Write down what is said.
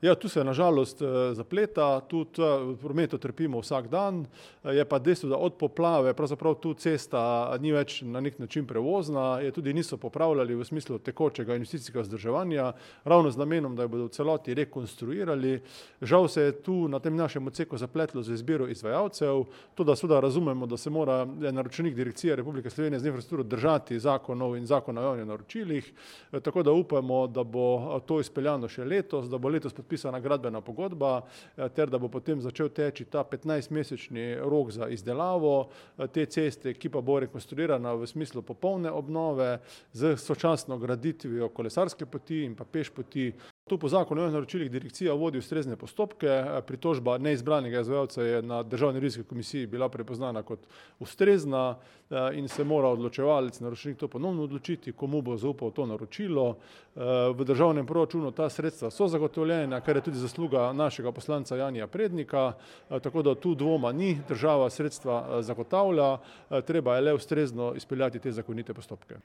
Ja, tu se nažalost zapleta, tudi v prometu trpimo vsak dan, je pa dejstvo, da od poplave pravzaprav tu cesta ni več na nek način prevozna, je tudi niso popravljali v smislu tekočega investicijskega vzdrževanja, ravno z namenom, da jo bodo v celoti rekonstruirali. Žal se je tu na tem našem odseku zapletlo z izbiro izvajalcev, tudi seveda razumemo, da se mora naročnik Direkcije Republike Slovenije za infrastrukturo držati zakonov in zakona o javnih naročilih, tako da upamo, da bo to izpeljano še letos, da bo letos podpisana gradbena pogodba, ter da bo potem začel teči ta 15-mesečni rok za izdelavo te ceste, ki pa bo rekonstruirana v smislu popolne obnove z sočasno graditvijo kolesarske poti in pa peš poti. Tu po zakonu o javnih naročilih direkcija vodi ustrezne postopke, pritožba neizbranega izvajalca je na Državni revizijski komisiji bila prepoznana kot ustrezna in se mora odločevalec, naročnik to ponovno odločiti, komu bo zaupal to naročilo. V državnem proračunu ta sredstva so zagotovljena, kar je tudi zasluga našega poslanca Janija Prednika, tako da tu dvoma ni, država sredstva zagotavlja, treba je le ustrezno izpeljati te zakonite postopke.